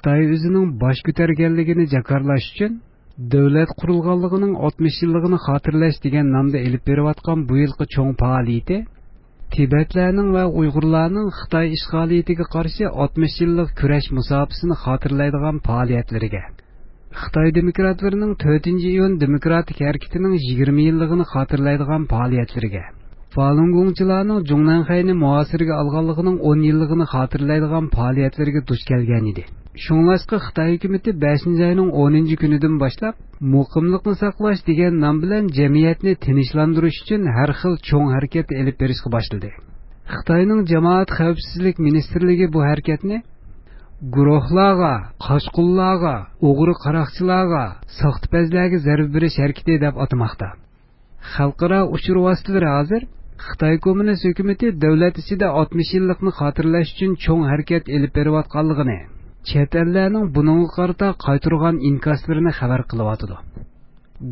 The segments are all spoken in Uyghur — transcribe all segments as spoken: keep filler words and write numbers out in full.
خىتاي ئۆزىنىڭ باش كۆتەرگەنلىكىنى جاكارلاش ئۈچۈن دۆلەت قۇرۇلغانلىقىنىڭ ئاتمىش يىللىقىنى خاتىرىلەش دېگەن نامدا ئېلىپ بېرىۋاتقان بۇ يىلقى چوڭ پائالىيىتى تىبەتلەرنىڭ ۋە ئۇيغۇرلارنىڭ خىتاي ئىشغالىيىتىگە قارشى ئاتمىش يىللىق كۈرەش مۇساپىسىنى خاتىرىلەيدىغان پائالىيەتلىرىگە، خىتاي دېموكراتلىرىنىڭ تۆتىنچى ئىيۇن دېموكراتىك ھەرىكىتىنىڭ يىگىرمە يىللىقىنى خاتىرىلەيدىغان پائالىيەتلىرىگە، فالۇنگوڭچىلارنىڭ جۇڭنەنخەينى مۇھاسىرىگە ئالغانلىقىنىڭ ئون يىللىقىنى خاتىرىلەيدىغان پائالىيەتلىرىگە دۇچ كەلگەن ئىدى. شۇڭلاشقا خىتاي ھۆكۈمىتى بەشىنچى ئاينىڭ ئونىنچى كۈنىدىن باشلاپ، مۇقىملىقنى ساقلاش دېگەن نام بىلەن جەمئىيەتنى تىنچلاندۇرۇش ئۈچۈن ھەر خىل چوڭ ھەرىكەت ئېلىپ بېرىشقا باشلىدى. خىتاينىڭ جامائەت خەۋپسىزلىك مىنىستىرلىكى بۇ ھەرىكەتنى گۇرۇھلارغا، قاچقۇنلارغا، ئوغرى قاراقچىلارغا، ساختىپەزلەرگە زەربە بېرىش ھەرىكىتى دەپ ئاتىماقتا. خەلقئارا ئۇچۇر ۋاسىتىلىرى ھازىر خىتاي كوممۇنىست ھۆكۈمىتى دۆلەت ئىچىدە ئاتمىش يىللىقنى خاتىرىلەش ئۈچۈن چوڭ ھەرىكەت ئېلىپ بېرىۋاتقانلىقىنى، چەت ئەللەرنىڭ بۇنىڭغا قارىتا قايتۇرغان ئىنكاسلىرىنى خەۋەر قىلىۋاتىدۇ.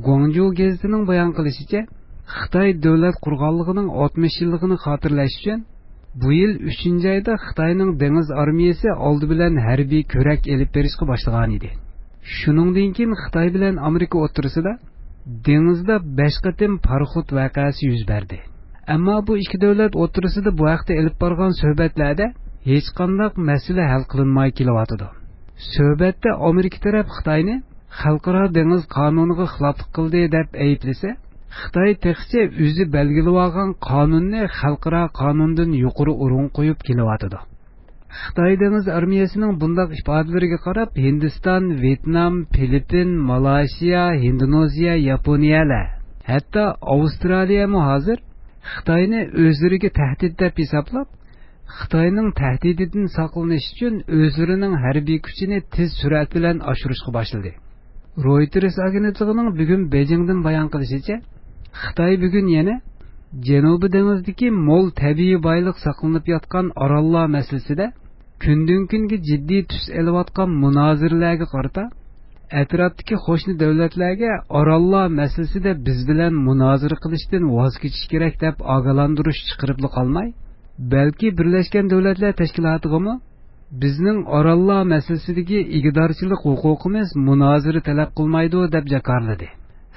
گۇاڭجۇ گېزىتىنىڭ بايان قىلىشىچە، خىتاي دۆلەت قۇرغانلىقىنىڭ ئاتمىش يىللىقىنى خاتىرىلەش ئۈچۈن، بۇ يىل ئۈچىنچى ئايدا خىتاينىڭ دېڭىز ئارمىيەسى ئالدى بىلەن ھەربىي كۆرەك ئېلىپ بېرىشقا باشلىغانىدى. شۇنىڭدىن كېيىن خىتاي بىلەن ئامېرىكا ئوتتۇرىسىدا دېڭىزدا بەش قېتىم پاراخوت ۋەقەسى يۈز بەردى. ئەمما بۇ ئىككى دۆلەت ئوتتۇرىسىدا بۇ ھەقتە ئېلىپ بارغان سۆھبەتلەردە ھېچقانداق مەسىلە ھەل قىلىنماي كېلىۋاتىدۇ. سۆھبەتتە ئامېرىكا تەرەپ خىتاينى خەلقئارا دېڭىز قانۇنىغا خىلاپلىق قىلدى دەپ ئەيىبلىسە، خىتاي تېخىچە ئۆزى بەلگىلىۋالغان قانۇننى خەلقئارا قانۇندىن يۇقىرى ئورۇن قويۇپ كېلىۋاتىدۇ. خىتاي دېڭىز ئارمىيەسىنىڭ بۇنداق ئىپادىلىرىگە قاراپ، ھىندىستان، ۋيېتنام، فىلىپپىن، مالايشىيا، ھىندونېزىيە، ياپونىيەلەر، ھەتتا ئاۋسترالىيەمۇ ھازىر خىتاينى ئۆزلىرىگە تەھدىت دەپ ھېسابلاپ، خىتاينىڭ تەھدىتىدىن ساقلىنىش ئۈچۈن ئۆزلىرىنىڭ ھەربىي كۈچىنى تېز سۈرئەت بىلەن ئاشۇرۇشقا باشلىدى. رويتېرس ئاگېنتلىقىنىڭ بۈگۈن بېيجىڭدىن بايان قىلىشىچە، خىتاي بۈگۈن يەنە جەنۇبىي دېڭىزدىكى مول تەبىئىي بايلىق ساقلىنىپ ياتقان ئاراللار مەسىلىسىدە كۈندىن-كۈنگە جىددىي تۈس ئېلىۋاتقان مۇنازىرىلەرگە قارىتا، ئەتراپتىكى قوشنا دۆلەتلەرگە ئاراللار مەسىلىسىدە بىز بىلەن مۇنازىرە قىلىشتىن ۋاز كېچىش كېرەك دەپ ئاگاھلاندۇرۇش چىقىرىپلا قالماي، بەلكى بىرلەشكەن دۆلەتلەر تەشكىلاتىغىمۇ بىزنىڭ ئاراللار مەسىلىسىدىكى ئىگىدارچىلىق ھوقۇقىمىز مۇنازىرە تەلەپ قىلمايدۇ، دەپ جاكارلىدى.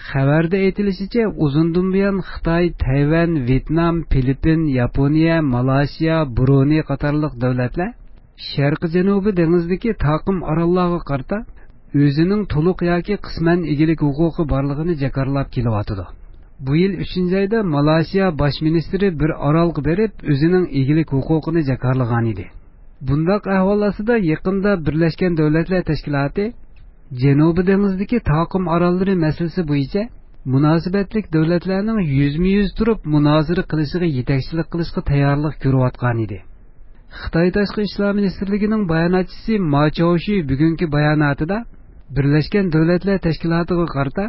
خەۋەردە ئېيتىلىشىچە، ئۇزۇندىن بۇيان خىتاي، تەيۋەن، ۋيېتنام، فىلىپپىن، ياپونىيە، مالايشىيا، برۇنېي قاتارلىق دۆلەتلەر شەرقىي جەنۇبىي دېڭىزدىكى تاقىم ئاراللارغا قارىتا ئۆزىنىڭ تولۇق ياكى قىسمەن ئىگىلىك ھوقۇقى بارلىقىنى جاكارلاپ كېلىۋاتىدۇ. بۇ يىل ئۈچىنچى ئايدا مالايشىيا باش مىنىستىرى بىر ئارالغا بېرىپ، ئۆزىنىڭ ئىگىلىك ھوقۇقىنى جاكارلىغانىدى. بۇنداق ئەھۋال ئاستىدا يېقىندا بىرلەشكەن دۆلەتلەر تەشكىلاتى جەنۇبىي دېڭىزدىكى تاقىم ئاراللىرى مەسىلىسى بويىچە مۇناسىۋەتلىك دۆلەتلەرنىڭ يۈزمۇ يۈز تۇرۇپ مۇنازىرە قىلىشىغا يېتەكچىلىك قىلىشقا تەييارلىق كۆرۈۋاتقانىدى. خىتاي تاشقى ئىشلار مىنىستىرلىكىنىڭ باياناتچىسى ما چاۋشى بۈگۈنكى باياناتىدا بىرلەشكەن دۆلەتلەر تەشكىلاتىغا قارىتا،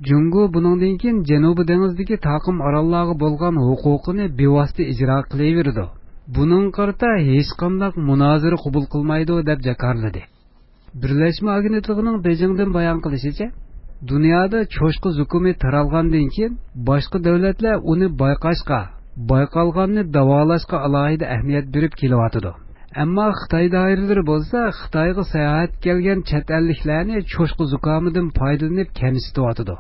جۇڭگو بۇنىڭدىن كېيىن جەنۇبىي دېڭىزدىكى تاقىم ئاراللارغا بولغان ھوقۇقىنى بىۋاسىتە ئىجرا قىلىۋېرىدۇ. بۇنىڭغا قارىتا ھېچقانداق مۇنازىرە قوبۇل قىلمايدۇ، دەپ جاكارلىدى. بىرلەشمە ئاگېنتلىقىنىڭ بېيجىڭدىن بايان قىلىشىچە، دۇنيادا چوشقا زۇكۇمى تارالغاندىن كېيىن، باشقا دۆلەتلەر ئۇنى بايقاشقا، بايقالغاننى داۋالاشقا ئالاھىدە ئەھمىيەت بېرىپ كېلىۋاتىدۇ. ئەمما خىتاي دائىرىلىرى بولسا خىتايغا ساياھەتكە كەلگەن چەت ئەللىكلەرنى چوشقا زۇكامىدىن پايدىلىنىپ كەمسىتىۋاتىدۇ.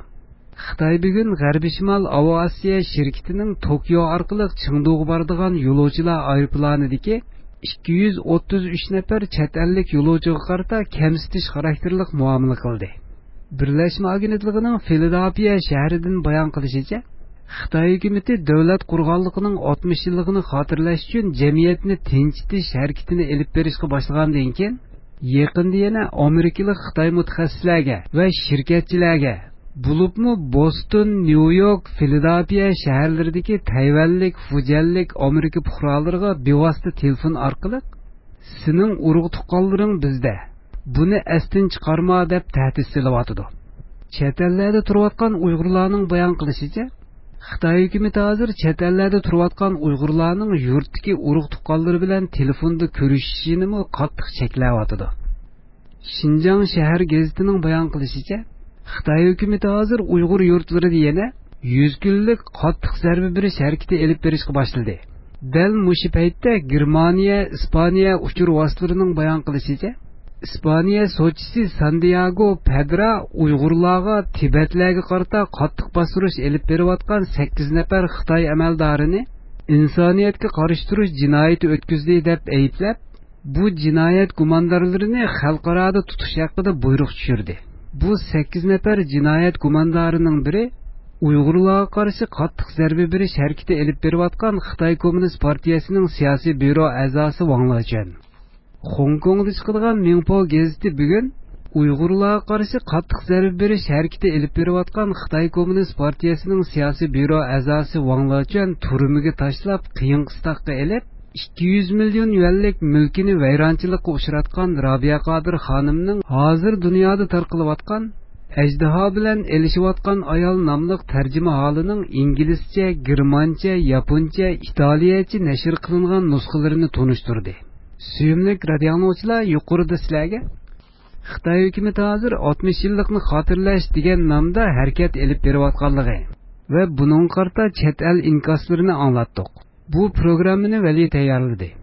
خىتاي بۈگۈن غەربىي شىمال ئاۋىئاتسىيە شىركىتىنىڭ توكيو ئارقىلىق چېڭدۇغا بارىدىغان يولۇچىلار ئايروپىلانىدىكى ئىككى يۈز ئوتتۇز ئۈچ نەپەر چەت ئەللىك يولۇچىغا قارىتا كەمسىتىش خاراكتېرلىق مۇئامىلە قىلدى. بىرلەشمە ئاگېنتلىقىنىڭ فىلادېلفىيە شەھىرىدىن بايان قىلىشىچە، خىتاي ھۆكۈمىتى دۆلەت قۇرغانلىقىنىڭ ئاتمىش يىللىقىنى خاتىرىلەش ئۈچۈن جەمئىيەتنى تىنچىتىش ھەرىكىتىنى ئېلىپ بېرىشقا باشلىغاندىن كېيىن، يېقىندا يەنە ئامېرىكىلىق خىتاي مۇتەخەسسىسلەرگە ۋە شىركەتچىلەرگە، بولۇپمۇ بوستون، نيۇ يورك، فىلادېلفىيە شەھەرلىرىدىكى تەيۋەنلىك، فۇجيەنلىك ئامېرىكا پۇقرالىرىغا بىۋاسىتە تېلېفون ئارقىلىق، «سېنىڭ ئۇرۇق تۇغقانلىرىڭ بىزدە، بۇنى ئەستىن چىقارما» دەپ تەھدىت سېلىۋاتىدۇ. چەت ئەللەردە تۇرۇۋاتقان ئۇيغۇرلارنىڭ بايان قىلىشىچە، خىتاي ھۆكۈمىتى ھازىر چەت ئەللەردە تۇرۇۋاتقان ئۇيغۇرلارنىڭ يۇرتتىكى ئۇرۇق تۇغقانلىرى بىلەن تېلېفوندا كۆرۈشۈشىنىمۇ قاتتىق چەكلەۋاتىدۇ. شىنجاڭ شەھەر گېزىتىنىڭ بايان قىلىشىچە، خىتاي ھۆكۈمىتى ھازىر ئۇيغۇر يۇرتلىرىدا يەنە يۈز كۈنلۈك قاتتىق زەربە بېرىش ھەرىكىتى ئېلىپ بېرىشقا باشلىدى. دەل مۇشۇ پەيتتە گېرمانىيە، ئىسپانىيە ئۇچۇر ۋاسىتىلىرىنىڭ بايان قىلىشىچە، ئىسپانىيە سوتچىسى ساندىياگو پەدرا ئۇيغۇرلارغا تىبەتلەرگە قارىتا قاتتىق باستۇرۇش ئېلىپ بېرىۋاتقان سەككىز نەپەر خىتاي ئەمەلدارىنى ئىنسانىيەتكە قارشى تۇرۇش جىنايىتى ئۆتكۈزدى دەپ ئەيىبلەپ، بۇ جىنايەت گۇماندارلىرىنى خەلقئارادا تۇتۇش ھەققىدە بۇيرۇق چۈشۈردى. بۇ سەككىز نەپەر جىنايەت گۇماندارىنىڭ بىرى ئۇيغۇرلارغا قارشى قاتتىق زەربە بېرىش ھەرىكىتى ئېلىپ بېرىۋاتقان خىتاي كوممۇنىست پارتىيەسىنىڭ سىياسىي بيۇرو ئەزاسى ۋاڭ لېچۈەن. خوڭكوڭدا چىقىدىغان مىڭپو گېزىتى بۈگۈن ئۇيغۇرلارغا قارشى قاتتىق زەربە بېرىش ھەرىكىتى ئېلىپ بېرىۋاتقان خىتاي كوممۇنىست پارتىيەسىنىڭ سىياسىي بيۇرو ئەزاسى ۋاڭ لېچۈەن تۈرمىگە تاشلاپ قىيىن قىستاققا ئېلىپ، ئىككى يۈز مىليون يۈەنلىك مۈلكىنى ۋەيرانچىلىققا ئۇچراتقان رابىيە قادىر خانىمنىڭ ھازىر دۇنيادا تارقىلىۋاتقان ئەجدىھا بىلەن ئېلىشىۋاتقان ئايال ناملىق تەرجىمىھالىنىڭ ئىنگلىزچە، گېرمانچە، ياپونچە، ئىتالىيەچە نەشر قىلىنغان نۇسخىلىرىنى تونۇشتۇردى. سۆيۈملۈك رادىئو ئاڭلىغۇچىلار، يۇقىرىدا سىلەرگە خىتاي ھۆكۈمىتى ھازىر ئاتمىش يىللىقنى خاتىرىلەش دېگەن نامدا ھەرىكەت ئېلىپ بېرىۋاتقانلىقى ۋە بۇنىڭغا قارىتا چەت ئەل ئىنكاسلىرىنى ئاڭلاتتۇق. بۇ پروگراممىنى ۋەلى تەييارلىدى.